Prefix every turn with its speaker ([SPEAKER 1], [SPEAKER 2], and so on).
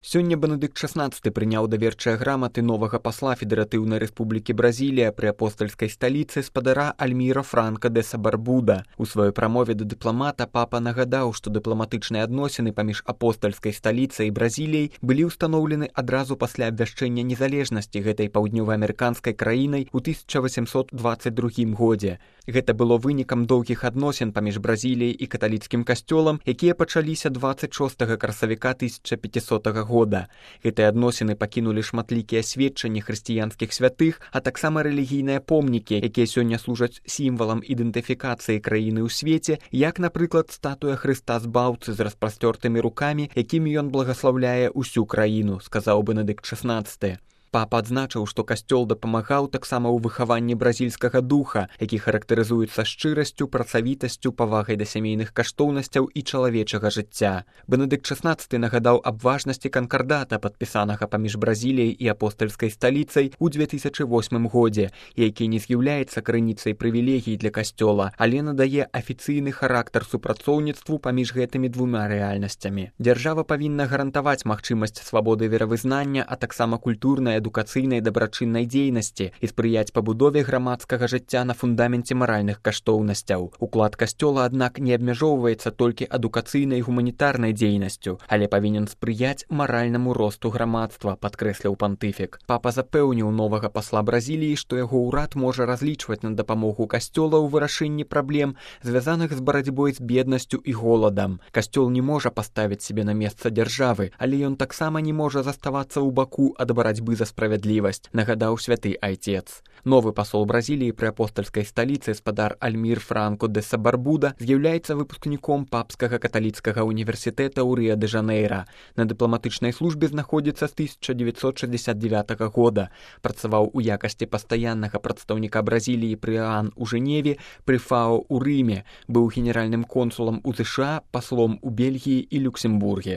[SPEAKER 1] Сёння Бенедыкт XVI прыняў даверчыя граматы новага пасла Федэратыўнай Рэспублікі Бразілія пры апостальскай сталіцы спадара Альміра Франка де Сабарбуда. У сваёй прамове да дыпламата папа нагадаў, што дыпламатычныя адносіны паміж апостальскай сталіцай і Бразіліяй былі ўстаноўлены адразу пасля абвяшчэння незалежнасці гэтай паўднёваамерыканскай краінай у 1822 годзе. Гэта было вынікам доўгіх адносін паміж Бразіліяй і каталіцкім касцёлам, якія пачаліся 26 красавіка 1500 года. Гэтыя адносіны пакінулі шматлікія сведчанні хрысціянскіх святых, а таксама рэлігійныя помнікі, якія сёння служаць сімвалам ідэнтыфікацыі краіны ў свеце, як, напрыклад, статуя Хрыста збаўцы з распасцёртымі рукамі, якімі ён благаслаўляе ўсю краіну, сказаў Бенедыкт XVI. Папа адзначыў, што касцёл дапамагаў таксама ў выхаванні бразільскага духа, які характарызуецца шчырасцю, працавітасцю, павагай да сямейных каштоўнасцяў і чалавечага жыцця. Бенедыкт XVI нагадаў аб важнасці канкардата, падпісанага паміж Бразіліяй і апостальскай сталіцай у 2008 годзе, які не з'яўляецца крыніцай прывілегій для касцёла, але надае афіцыйны характар супрацоўніцтву паміж гэтымі двума рэальнасцямі. Дзяржава павінна гарантаваць магчымасць свабоды веравызнання, а таксама культурнай, адукацыйнай дабрачыннай дзейнасці і спрыяць пабудове грамадскага жыцця на фундаменце маральных каштоўнасцяў. Уклад касцёла, аднак, не абмяжоўваецца толькі адукацыйнай і гуманітарнай дзейнасцю, але павінен спрыяць маральнаму росту грамадства, падкрэсліў пантыфік. Папа запэўніў новага пасла Бразіліі, што яго ўрад можа разлічваць на дапамогу касцёла ў вырашэнні праблем, звязаных з барацьбой з беднасцю і голадам. Касцёл не можа паставіць сябе на месца дзяржавы, але ён таксама не можа заставацца ў баку ад барацьбы за справядлівасць, нагадаў святы айцец. Новы пасол Бразіліі пры апостальскай сталіцы спадар Альмір Франко де Сабарбуда з'яўляецца выпускніком папскага каталіцкага універсітэта ў Рыа-дэ-Жанейра. На дыпламатычнай службе знаходзіцца з 1969 года. Працаваў у якасці пастаяннага прадстаўніка Бразіліі пры ААН у Жэневе, пры ФАО ў Рыме, быў генеральным консулам у ЗША, паслом у Бельгіі і Люксембурге.